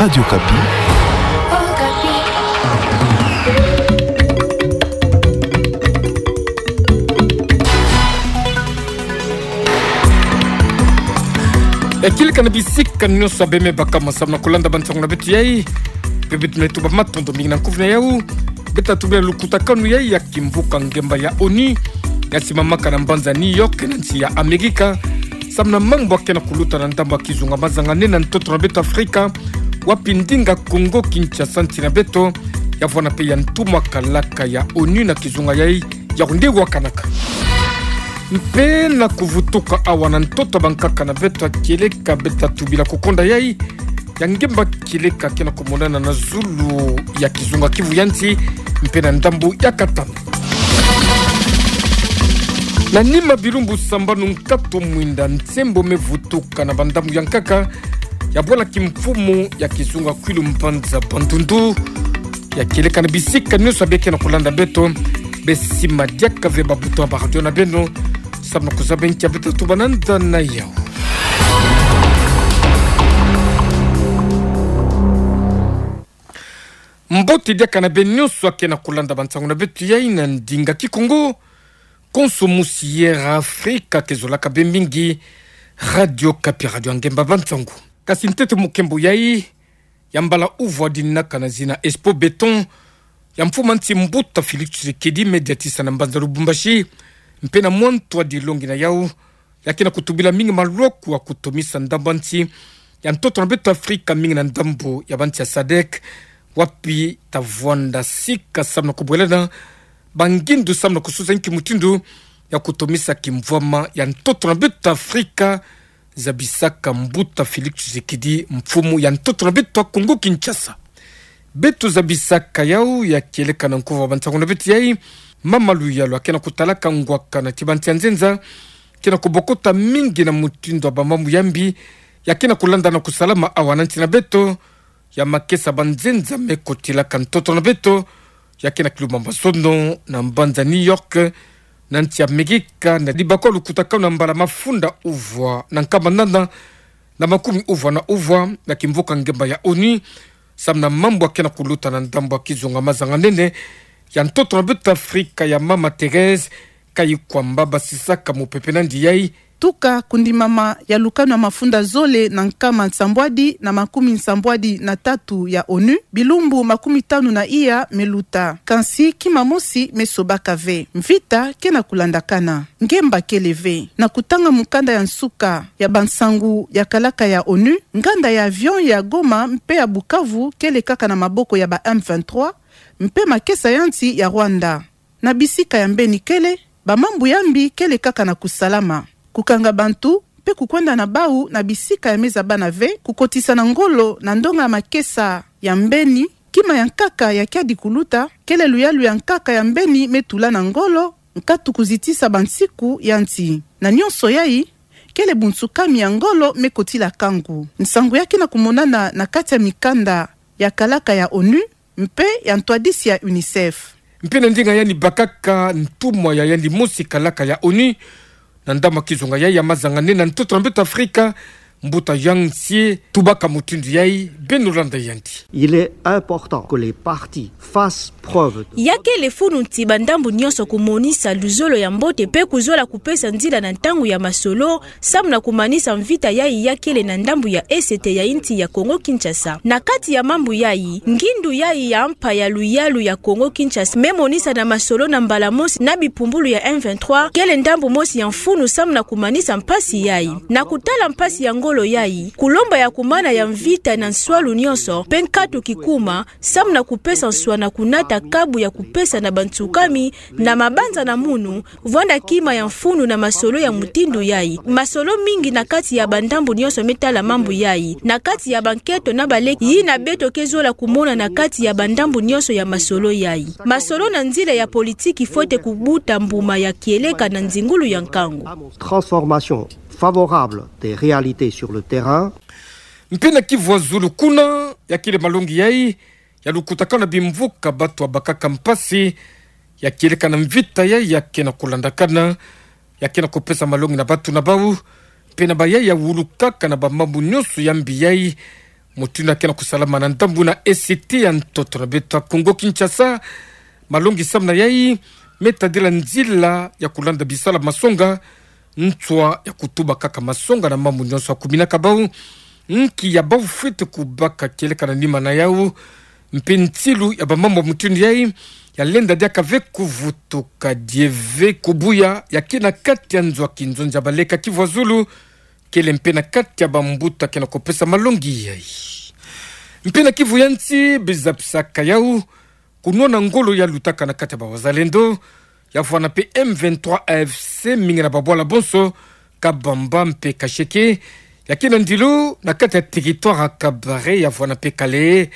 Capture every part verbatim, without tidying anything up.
Radio Okapi. Ya kieleka na bisika nyonso beme baka ma samu na kulanda bansangu na beto yai. Bebe tuna itu ba matondo mingi na nkufi na yau. Beta tubila lukutakanu yai ya kimvuka ngemba ya ONU ya simamaka na mbanza New York na nsi ya Amerika, samu na mambu akena kuluta na ndambu ya kizunga mazanga nene na ntoto na beto Afrika, wapi ndinga Kongo Kinshasa nsi na beto yavwanda pe ya ntumwa kalaka ya ONU na kizunga yai ya kunde wakanaka. Mpe na kuvutuka awa na ntoto bankaka na beto ya kieleka, beta tubila kukonda yai ya ngemba kieleka kena kumonana na zulu ya kizunga Kivu ya nsi, mpe na ndambu ya Katanga. Na nima bilumbu sambanu nkatu mwinda, nsembo mevutuka na bandambu ya nkaka ya bwala kimfumu ya kizunga Kwilu mbanza Bandundu. Ya kieleka na bisika nyonso beke na kulanda beto, besi madiaka ve ba bouton ya ba radio na beno, samu na kuzaba nkia beta tubananda na yau. Mbote diaka na beno nyonso akena kulanda bansangu na beto yai na ndinga Kikongo. Konso musi Air Afrika, ke zolaka bê mingi Radio Okapi, radio ya ngemba bansangu. Kasi ntete mukembo yai, ya mbala uvwa dinaka na zina Expo Béton, ya mfumu a nsi mbuta Félix Tshisekedi me diatisa na mbanza Lubumbashi, mpe na mwa ntwadi longi na yau, ya kena kutubila mingi maloko ya kutomisa ndambu a nsi ya ntoto na beto Afrika, mingi na ndambu ya bansi ya sadek, wapi ta vwanda sika samu na kubwelana bangindu samu na kususa nki mutindu ya kutomisa kimvwama ya ntoto na beto Afrika, zabisaka mbuta Félix Tshisekedi, mfumu ya ntoto na beto ya Kongo Kinshasa. Beto zabisaka yau ya kieleka na nkufi ya bansangu na beto yai, mama Luyalu akena kutalaka ngwaka na ti bansi ya nzenza, kena kubokota mingi na mutindu ya bamambu ya mbi ya kena kulanda na kusalama awa na nsi na beto, ya makesa banzenza me kotilaka ntoto na beto, ya kena kilumba mazono na mbanza New York, na nsi ya Amerika, na dibakwa lukutakanu na mbala mafunda uvwa na nkama nana na makumi uvwa na uvwa, na kimvuka ngemba ya ONU, samu na mambu akena kuluta na ndambu ya kizunga mazanga nene ya ntoto na beto Afrika, ya mama Thérèse Kayikwamba, basisaka mupepe nandi yai. Tuka kundimama ya lukanu ya mafunda zole na nkama nsambwadi na makumi nsambwadi na tatu ya ONU, bilumbu makumi tanu na iya meluta. Kansi kima mosi mesobaka ve. Mvita kena kulandakana. Ngemba kele ve. Na kutanga mukanda ya nsuka ya bansangu ya kalaka ya ONU, nganda ya avion ya Goma mpe ya Bukavu kele kaka na maboko ya ba M vingt-trois, mpe makesa ya nsi ya Rwanda. Na bisika ya mbeni kele, bamambu ya mbi kele kaka na kusalama. Kukanga bantu, mpe kukwenda na bau na bisika ya mezabana ve, kukotisa na ngolo na ndonga ya makesa ya mbeni, kima ya nkaka ya kiadi kuluta, kele luyalu ya nkaka ya mbeni metula na ngolo, nkatu kuzitisa bansiku ya nsi. Na nyonso yai, kele bunsukami ya ngolo mekotila kangu. Nsangu ya kena kumonana na kati ya mikanda ya kalaka ya ONU, mpe ya ntwadisi ya UNICEF. Mpe na ndinga yandi bakaka ntumwa ya yandi mosi kalaka ya ONU na ndambu ya kizunga yai ya mazanga nene na ntoto na beto Afrika, mbuta Yang Xie, tubaka mutindu yai, beno landa yandi. Il est important que les parties fassent preuve de... Ya kele funu ti bandambu nyonso kumonisa luzolo ya mbote mpe kuzola kupesa nzila na ntangu ya masolo, samu na kumanisa mvita yai ya kele na ndambu ya esete ya insi ya Kongo Kinshasa. Na kati ya mambu yai, ngindu yai ya mpa ya luyalu ya Kongo Kinshasa memonisa na masolo na mbala mosi na bipumbulu ya M vingt-trois, kele ndambu mosi ya mfunu samu na kumanisa mpasi yai. Na kutala mpasi ya ngolo yai, kulomba ya kumana ya mvita na nswalu nyonso, mpe nkatu kikuma, samu na kupesa nswa na kunata kabu ya kupesa na bansukami, na mabanza na munu, vwanda kima ya mfunu na masolo ya mutindu yai. Masolo mingi na kati ya bandambu nyonso metala mambu yai. Na kati ya banketo na baleki, yina beto ke zola kumona na kati ya bandambu nyonso ya masolo yai. Masolo na nzila ya politiki fwete kubuta mbuma ya kieleka na nzingulu ya nkangu. Transformation favorable des réalités sur le terrain. Mpe na Kivu ya zulu kuna, ya kele malongi yai ya lukutakanu na bimvuka, batu ya bakaka mpasi ya kieleka na mvita yai ya kena kulandakana, ya kena kupesa malongi na batu na bau, mpe na bayai ya wulukaka na bamambu nyonso ya mbi yai, Mutindu ya ke na kusalama na ndambu na esiti ya ntoto na beto ya Kongo Kinshasa, malongi samuna yai me tadila nzila ya kulanda bisala masonga, ntswa ya kutuba kaka masonga na mambu nyonso ya kuminaka bau, nki ya bau fwete kubaka kieleka na nima na yau, mpe ntilu ya bamambu ya mutindu yai ya lenda diaka ve kuvutuka die ve kubuya, ya ke na kati ya nzo ya kinzonzi ya baleka kivu ya zulu, kele mpe na kati ya bambuta ke na kupesa malongi yai. Mpe na kivu ya nsi, bizapisaka yau, kunwana ngolo ya lutaka na kati ya bawazalendo, ya vwanda mpe M vingt-trois A F C, mingi na babwala bonso, Kabamba mpe Kasheke, ya ke na ndilo na kati ya territoire ya Kabare, ya vwanda mpe Kale,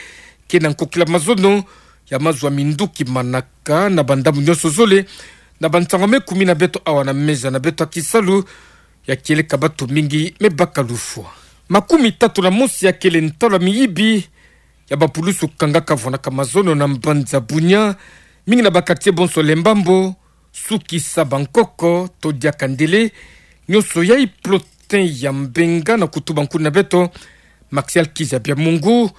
ke na nkokila mazono ya mazwa minduki manaka na bandambu nyonso zole, na bansango me kumi na beto awa na meza na beto ya kisalu, ya kieleka batu mingi me baka lufwa. Makumi tatu na mosi ya kele ntalu ya miyibi ya bapulusu kangaka vwandaka mazono na mbanza Bunia, mingi na ba quartier bonso Lembambo, Sukisa, Bankoko, to diaka Ndele, nyonso yai plotin ya Mbenga na kutuba nkuni na beto, Maxial Kizabia Mungu,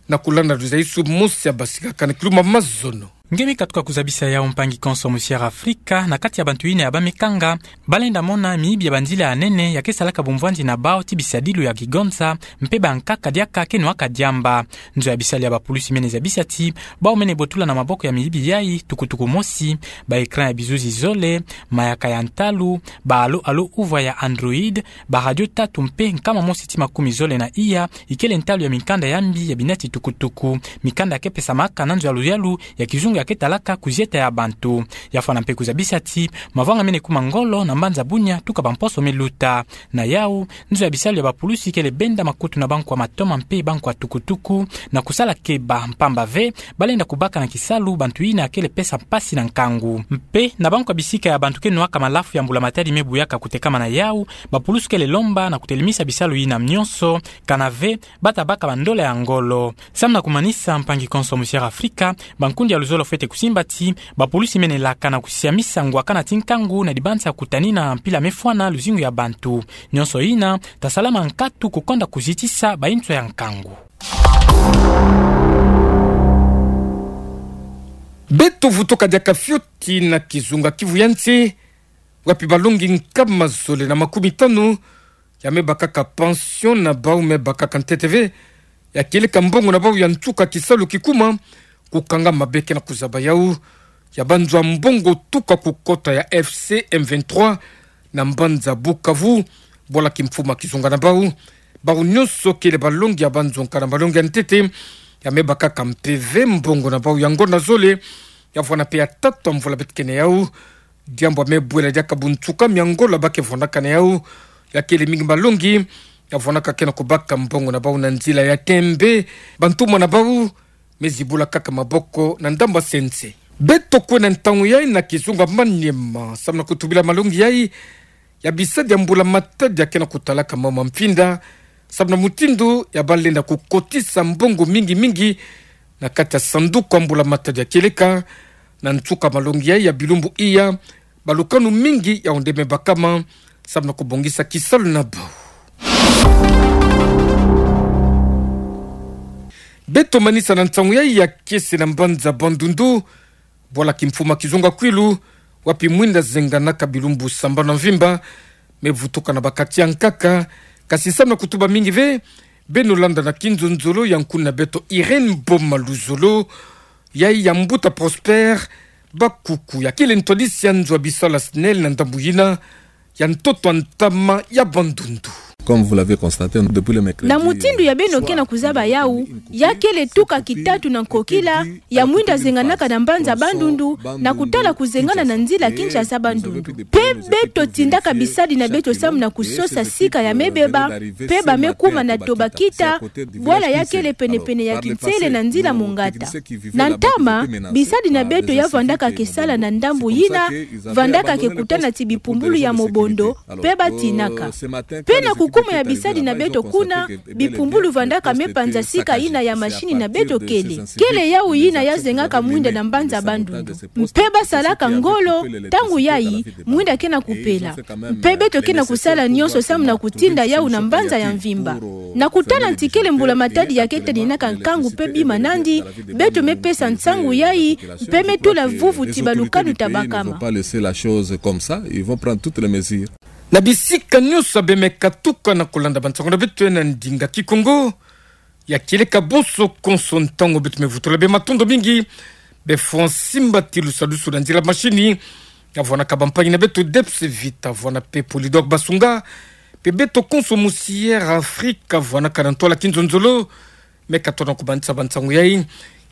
na kulanda luzaisu mosi ya basikaka na kiluma mazono. Nge mi katuka kuzabisa yau, mpangi konso Musière Afrika, na kati ya bantu yina ya bamekanga, balenda mona miyibi ya banzila ya nene ya ke salaka bumvwanzi na bau ti bisadilu ya kigonza, mpe bankaka diaka ke nwaka diamba. Nzo ya bisali ya bapulusi mene zabisa ti bau mene botula na maboko ya miyibi yai tukutuku mosi, ba écran ya bizuzi zole, mayaka ya ntalu, ba alo-alo uvwa ya Android, ba radio tatu mpe nkama mosi ti makumi zole na iya, ikele ntalu ya mikanda ya mbi ya binati tukutuku, mikanda ya ke pesamaka na nzo ya luyalu ya kizungu ya ke talaka kuzieta ya bantu. Ya fwana mpe kuzabisa ti mavwanga mene kuma ngolo na mbanza Bunia tuka bamposo me luta. Na yau, nzo ya bisalu ya bapulusi kele benda makutu na bankwa matoma mpe bankwa tukutuku, na kusala keba mpamba ve balenda kubaka na kisalu bantu yina kele pesa mpasi na nkangu. Mpe na bankwa bisika ya bantu ke nwaka malafu ya mbula matadi me buyaka kutekama na yau, bapulusu kele lomba na kutelemisa bisalu yina nyonso, kana ve bata baka bandola ya ngolo. Samu na kumanisa, mpangi konso Musière Afrika, bankundi ya luzolo fwete kusimba ti bapulusi mene laka na kusiamisa ngwakana ti nkangu na dibanza kutanina mpila me fwana luzingu ya bantu. Nyonso yina ta salama nkatu kukonda kuzitisa bainso ya nkangu. Beto vutuka diaka fioti na kizunga Kivu ya nsi, wapi balongi nkama zole na makumi tanu ya me bakaka pension na bau me bakaka ntete ve, ya kieleka mbongo na bau ya nsuka kisalu kikuma, kukanga mabe ke na kuzaba yau ya banzwa mbongo tuka kukota ya F C M vingt-trois na mbanza Bukavu, bwala kimfuma kizunga na bau. Bau nyonso kele balongi ya banzo nkana malongi ya ntete, ya me bakaka mpe ve mbongo na bau ya ngonda zole, ya vwanda mpe ya tatu ya mvula beto ke na yau. Diambu ya me bwela diaka bunsuka miangola ba ke vwandaka na yau, ya kele mingi malongi ya vwandaka ke na kubaka mbongo na bau na nzila ya tembe, bantumwa na bau me zibula kaka maboko na ndambu ya sense. Beto kwenda ntangu yai na kizunga Maniema, samu na kutubila malongi yai ya bisadi ya mbula matadi ya ke na kutalaka mau ma mfinda, samu na mutindu ya balenda kukotisa mbongo mingi mingi na kati ya sanduku ya mbula matadi ya kieleka. Na nsuka malongi yai ya bilumbu iya, balukanu mingi ya onde me bakama, samu na kubongisa kisalu na bau. Beto manisa na nsangu yai ya kiese na mbanza Bandundu, bwala kimfuma kizunga Kwilu, wapi mwinda zenganaka bilumbu sambanu ya mvimba me vutuka na ba quartier ya nkaka. Kasi samu na kutuba mingi ve, beno landa na kinzonzolo ya nkuni na beto Irène Boma Luzolo, yai ya mbuta Prosper Bakuku, ya kele ntwadisi ya nzo ya bisalu ya SNEL na ndambu yina ya ntoto ya ntama ya Bandundu. Comme vous l'avez constaté, depuis le mercredi, na mutindu ya beno ke na kuzaba yau, ya kele tuka kitatu na nkokila ya mwinda zenganaka na mbanza Bandundu, na kutala kuzengana na nzila Kinshasa Bandundu. Mpe beto tindaka bisadi na beto samu na kusosa sika ya me beba, mpe ba me kuma na Tobakita, bwala ya kele penepene ya kinsele na nzila Mongata. Na ntama, bisadi na beto ya vandaka ke sala na ndambu yina, vandaka ke kutana ti bipumbulu ya mobondo, mpe ba tinaka. Mpe na kuko Kuma ya bisadi na beto kuna, bipumbulu vandaka me panza sika yina ya mashini na beto kele. Kele yau yina ya zengaka mwinda na mbanza bandundu. Mpe basalaka ngolo, ntangu yayi, mwinda ke na kupela. Mpe beto ke na kusala nyonso samu na kutinda yau na mbanza ya mvimba. Na kutala nti kele mbula-matadi ya kete ninaka nkangu mpe bima nandi, beto me pesa nsangu yayi, mpe me tula vuvu ti balukanu ta bakama. Na bisika nyonso bemeni katuka na kulanda bansangu na beto na ndinga Kikongo, ya kieleka bonso konso ntangu beto me vutula bê. Matondo mingi. Bê fwa nsimba ti lusadusu na nzila mashini, ya vwanaka bampangi na beto Debs Vita, vwana mpe Polydor Basunga, mpe beto konso musi Air Afrique, vwanaka na ntwala kinzonzolo, me katona kumanisa bansangu yayi,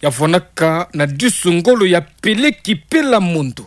ya vwanaka na disu ngolo ya Pele Kipela Mondo.